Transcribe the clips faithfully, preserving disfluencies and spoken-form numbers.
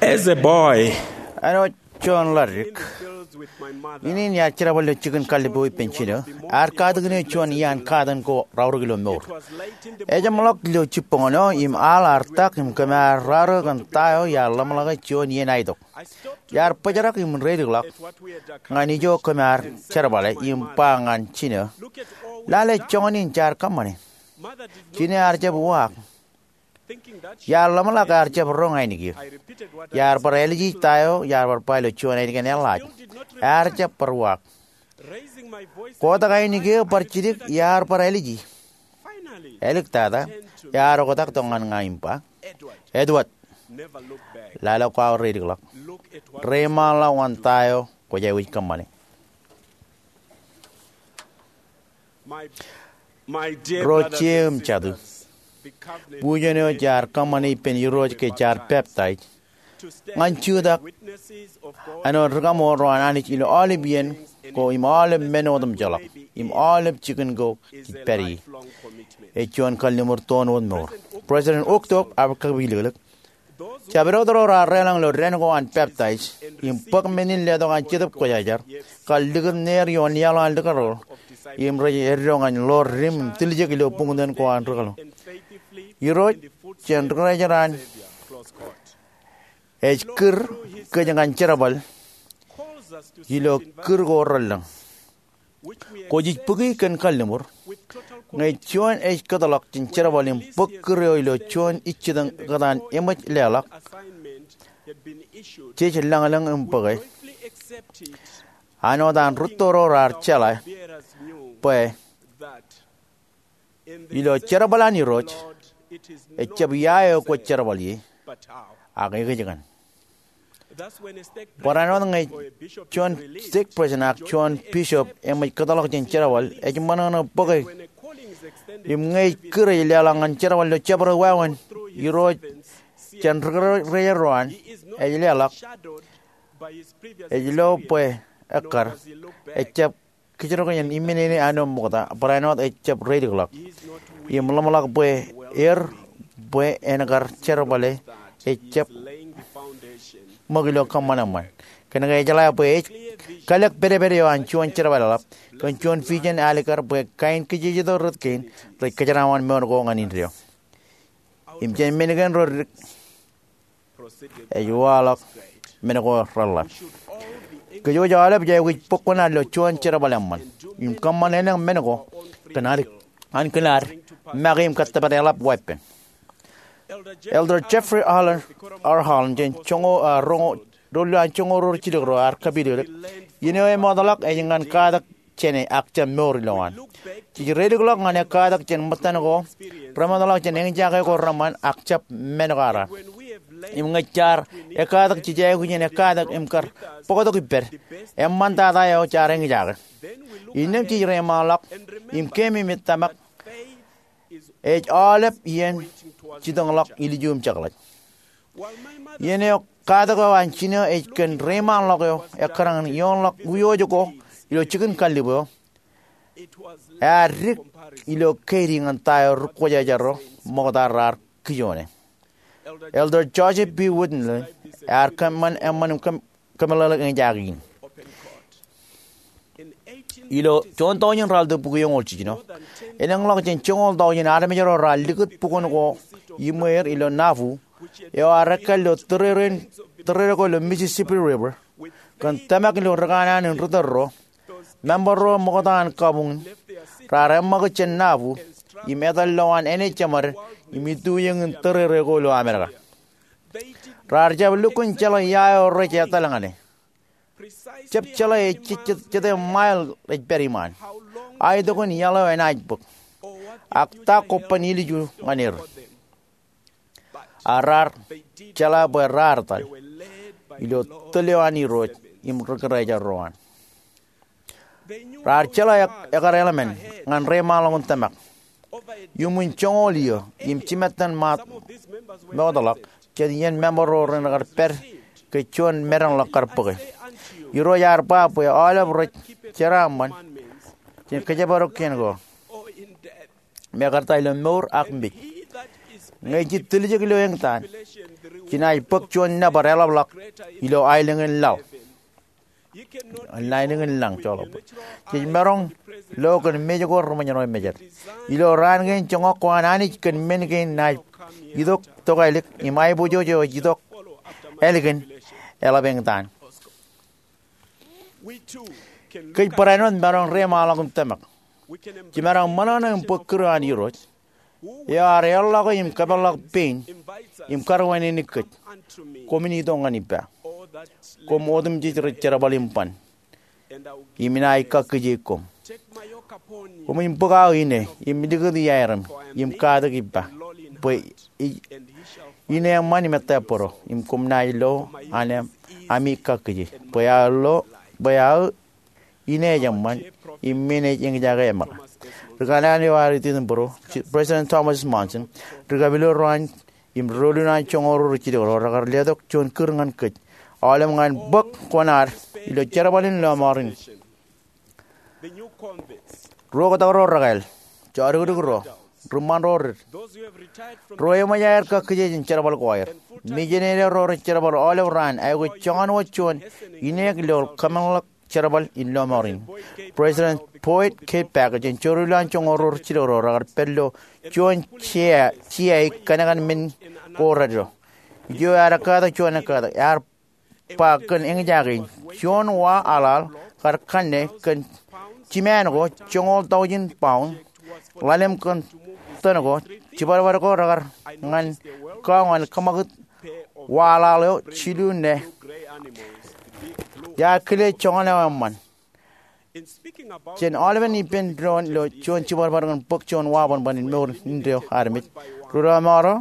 As a boy, āinwōt juon ḷadik, in in iar jerbal ilo jikin kallib eo ippān jinō. Ear katakin eō juon iaan katakin ko raorōk ilo mour. Ejjeṃḷọk ilo jibboñōn eo im aḷ ear tak im kōm ar raorōk kōn ta eo iar ḷōmṇak juon iien aetok. Iar bōjrak im reilikḷọk ñan ijo kōm ar jerbale im ba ñan jinō, lale joñan in jaar kōṃṃane. Jinō ear jab uwaak. Iar ḷōmṇak ear jab roñ ainikien. Iar bar āliji ta eo iar bar ba ilo juon ainikien eḷḷaaj. Ear jab bar uwaak. Kotak ainikien eo bar jidik, iar bar āliji. Āliktata, ear oktak tok ñan ña im ba, Edward, lale kwaar reilikḷọk. Reiṃaanḷọk ñan ta eo kwōj aikuj kōṃṃane. Ro jet im jatū, bujen eo jaar kōṃṃane ippān Irooj ke jaar peptaij ñan jutak āinwōt ri-kaṃool ro an Anij ilo aolep iien ko im aolep men otemjeḷọk im aolep jikin ko jej pād ie. Ej juon kalliṃur toon wōt mour. President Uchtdorf ear kab ilōklik, jabdewōt ro raar deḷọñ ilo dān ko an peptaij im bōk men in letok an Jetōb Kwōjarjar kar likūt neer ioon iaḷ an likūrḷọk im rej eddo ñan ḷoor dim im tiljek ilo buñtōn ko an ri-kaḷoon. Irooj jān ri-kōjatdikdik an ej kūr kōj ñan jerbal ilo kūr ko relōñ ko jej bōki kōn kalliṃur. Ñe juon ej kōtḷọk jān jerbal im bōk kūr eo ilo juon ijjitōñ kōtaan eṃōj leḷọk, jej lōñlōñ im bōke. Āinwōt an rūtto ro raar jeḷā bwe ilo jerbal an Irooj, ejjab ia eo kwōj jerbal ie, ak ekōjkan kōn. Barāinwōt ñe juon stake president ak juon bishop eṃōj kōtḷọk jān jerbal, ej ṃōṇōṇō bōke. Im ñe ej kūr ej leḷọk ñan jerbal ilo jabdewōt wāween Irooj jān ri-kōjatdikdik ro an, ej leḷọk, ej lo bwe ekkar, ejjab kōjro kōn iminene āinwōt ṃokta, barāinwōt ejjab reilikḷọk im ḷōmṇak bwe er, bwe en kar jerbale, ejjab ṃōk ilo kōṃṃan eṃṃan. Kōnke ejeḷā bwe ej kalōk pedped eo an juon jerbal eḷap kōn juon vision alikkar bwe kain kijejeto rot kein rej kōjeraaṃṃan mour ko ñan indeeo. Im jān men kein ro dik, ej waḷọk men ko reḷḷap. Kōj wōj aolep jej aikuj bōk kuṇaad ilo juon jerbal eṃṃan im kōṃṃan elōñ men ko kōn ad, an kōn ad make im kōttōpar eḷap weeppān. Elder Jeffrey Holland, R. Holland, jān joñoul, ah, roñoul, doulul an joñoul ruo jilkinro ear kapilōklōk, iien eo emootḷọk ej ñan katak jāne ak jab mour ilowaan. Jej reilikḷọk ñan ekkatak jān ṃōttan ko remootḷọk jān eñjake ko reṃṃan ak jab men ko araan. Im ñe jaar ekkatak, jej aikuj in ekkatak im kar bōktok ippād. Eṃṃantata eo jaar eñjake. Innām jej reiṃaanḷọk im keememej tōmak ej aolep iien jitōñḷọk ilju im jekḷaj. Iien eo katak eo an jinō ej kōn reiṃaanḷọk eo ekkar ñan ioonḷọk wūjooj ko ilo jikin kallib eo, ear dik ilo keidi ñan ta eo ri-kwōjarjar ro ṃokta raar kijoone. Elder Joseph B. Whitney ear kōṃṃan eṃṃan im kōm kōmeḷeḷe eñjake in. Ilo juon taujin ralitōk bukwi eñoul jiljino, elōñḷọk jān joñoul taujin armej ro raar likūt bukwōn ko iṃweer ilo Nauvoo, eo ear ekkā ilo tōreren, tōreren ko ilo Mississippi River, kōn tōmak ilo rikanaan in ri tōl ro, member ro ṃokta an kabuñ in, raar eṃṃakūt jān Nauvoo, im etal ilowaan āne jeṃaden, im itujōñ in tōreren ko ilo Amerika. Raar jab lukkuun jeḷā ia eo rej etal ñane. Jab jeḷā ej je-, je-, jete mile ej pād iṃaan. Aetok in iaḷ eo enaaj bōk. Ak ta kobban ilju ñan er. A raar jeḷā bwe raar etal ilo tōl eo an Irooj im ri-kōjatdikdik ro an. Raar jeḷā ek-, ekar eḷmen ñan reiṃaanḷọk in tōmak. Iuṃwin joñoul iiō im jimettan ṃaat mootḷọk jān iien member ro ren kar pād ke juon medanḷọk kar bōke. Irooj ear ba bwe aolep rej jeraaṃṃan jān kōjparok kien ko, mekarta ilo mour ak mej. Ñe jej tiljek ilo eñtaan, jenaaj bōk juon nōbar eḷapḷọk ilo aelōñ in laḷ. Aelōñ in laḷ, joḷọk. Jej maroñ lo kōn mej ko reṃōjṇọ mejād. Ilo raan kein joñak ko an Anij kōn men kein naaj itok tokālik im aiboojoj eo ej itok ālikin eḷap eñtaan. Kōj barāinwōt maroñ reṃaanḷọk im tōmak. Jemaroñ ṃōṇōṇō im bōk kūr an Irooj eo ear eorḷọk im kapeḷḷọk pein im karuwainene kōj. Koṃwin itok ñan ippa, koṃ otemjej rej jerbal im ban, im inaaj kakkije koṃ. Koṃwin bōk aō ine im likūti aerōm im katak ippa, bwe ine eṃṃan im ettā bōro, im koṃ naaj lo an ami kakkije. Bwe aō lo, bwe aō ine ej eṃṃan im men ej eñjake eṃōṇōṇō. Ri kanaan eo ear ititōn bōro, President Thomas Monson, ri kapilōk ro an im doulul an joñoul ruo ri jilkinḷọk ro rekar letok juon kūr ñan kōj, aolep ñan bōk kuṇaad ilo jerbal in lọmọọr in. Ruo kōtōk ro rekāāl, jodikdik ro, ri ṃan ro rid, ro eṃōj aer kakkije jān jerbal ko aer, mijenene ro rej jerbal aolep raan, aikuj joñan wōt juon ineek ilo kōmeḷeḷeik jerbal in lọmọọr in. President Boyd K. Packer jān doulul an joñoul ruo ri jilkinḷọk ro rekar pād ilo juon jea, jea ej kōnkan men ko reddo. Ijo ear ekkatak juon ekkatak, ear ba kōn eñjake in, juon wa aḷaḷ kar kanne kōn jiṃaan ko joñoul taujin paun, ḷalem kōn tōn ko, jibadbad ko rekar ñan kọọñan kōṃakūt wa aḷaḷ eo jilu ṇe. Iar kile joñan eo eṃṃan. Jān aolepen ippān doon ilo juon jibadbad kōn bōk juon wa bōnbōn in mour indeeo armej, ri lọmọọr eo,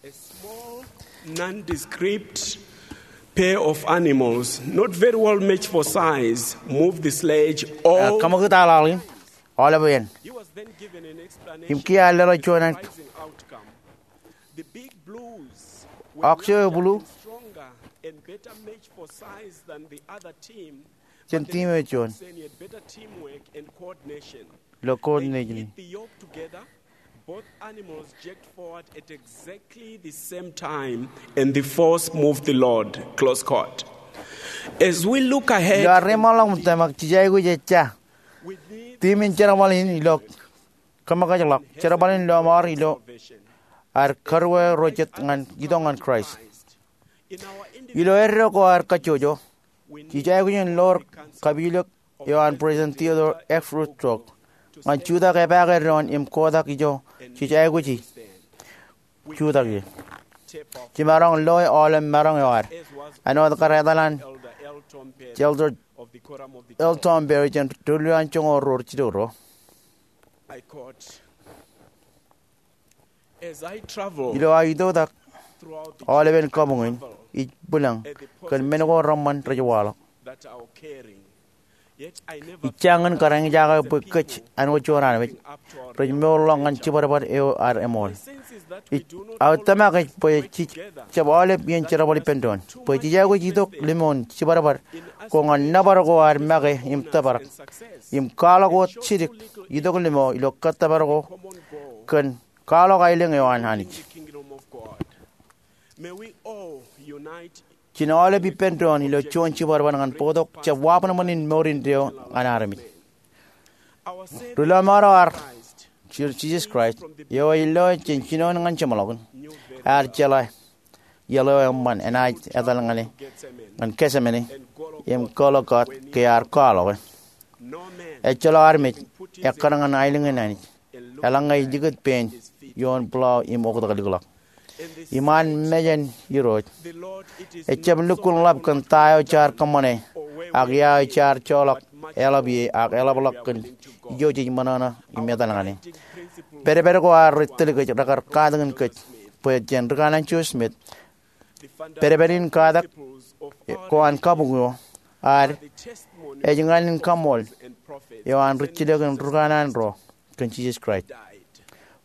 a small, nondescript pair of animals, not very well matched for size, moved the sledge all, kōṃakūt aḷaḷ in aolep āin. He was then given an explanation. Im kiiō ear leḷọk juon ān. The big blues were, oxo eo blu, stronger and better matched for size than the other team. Jān team eo juon. Oxen had better teamwork and coordination. Ilo coordination. They hit the yoke together. Both animals jerked forward at exactly the same time, and the force moved the load. Close quote. As we look ahead, ilo ad reṃaanḷọk im tōmak, jej aikuj ejja. Team in jerbal in ilo kōmōkajḷọk jerbal in lọmọọr ilo ad karuo ro jet ñan itok ñan Kraist. Ilo eddo ko ad kajjojo, jej aikuj in lo kapilōk eo an President Theodore F. Roosevelt ñan jutak epaake doon im kotak ijo jej aikuji jutak ie. Jemaroñ loe aolep maroñ eo ad, āinwōt kar etal an Elder L. Tom Perry jān doulul an joñoul ruo ri jilkinḷọk ro. Ilo aō itoitak aolepen kabuñ in, ij bwilōñ kōn men ko reṃṃan rej waḷọk. Ij jañin kar eñjake bwe kōj āinwōt juon armej rej mourḷọk ñan jibadbad eo ad eṃool. Ij, aō tōmak ej bwe jej jab aolep iien jerbal ippān doon, bwe jej aikuj itok limon jibadbad ko ñan nōbar ko ad make im tōprak, im kwaḷọk wōt jidik itok limo ilo kōttōpar ko kōn kwaḷọk aelōñ eo an Anij. Jān aolep ippān doon ilo juon jibadbad ñan bōktok jab wabōnbōn in mour indeeo ñan armej. Ri lọmọọr eo ad, Jisōs Kraist, eo ej lo jān jinoin ñan jeṃḷọkin, ear jeḷā iaḷ eo eṃṃan enaaj etal ñan e ñan Getsemane im Golgotha ke ear kwaḷọke. Ejjeḷọk armej ekkar ñan aelōñ in Anij eḷaññe ej likūt pein ioon pulao im oktak likḷọk. Im an mejān Irooj, ejjab lukkuun ḷap kōn ta eo jaar kōṃṃane, ak ia eo jaar joḷọk eḷap ie, ak eḷapḷọk kōn ijo jej ṃōṇōṇō im etal ñan e. Pedped ko ad rej tōl kōj rekar katakin kōj bwe jān ri kanaan Joseph Smith, pedped in katak ko an kabuñ eo ad ej ñan in kaṃool eo an rijjilōk in ri kanaan ro kōn Jisōs Kraist,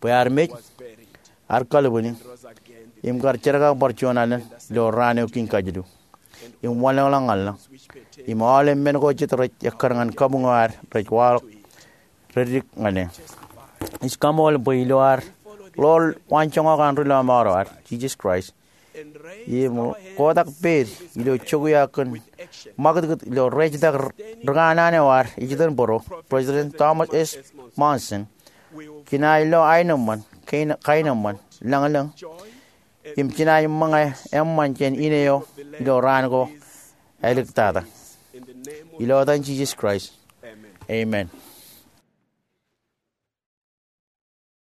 bwe ear mej, ear kalbwini, im kar jerkakbar juon alen ilo raan eo kein kajilu, im wanlōñḷọk ñan lañ, im aolep men ko jet rej ekkar ñan kabuñ eo ad rej waḷọk, rej dik ñan e. Ij kaṃool bwe ilo ad ḷoor waanjoñak an ri lọmọọr eo ad, Jisōs Kraist, im kotak peid ilo jokwe eo kōn ṃakūtkūt ilo rejitak ri kanaan eo ad ej itok bōro, President Thomas S. Monson, kōn aer lo aenōṃṃan, kaenōṃṃan, lañlōñ, im kōn aer ṃōñā eṃṃan jān ine eo ilo raan ko āliktata. Ilo etan Jisōs Kraist, amen.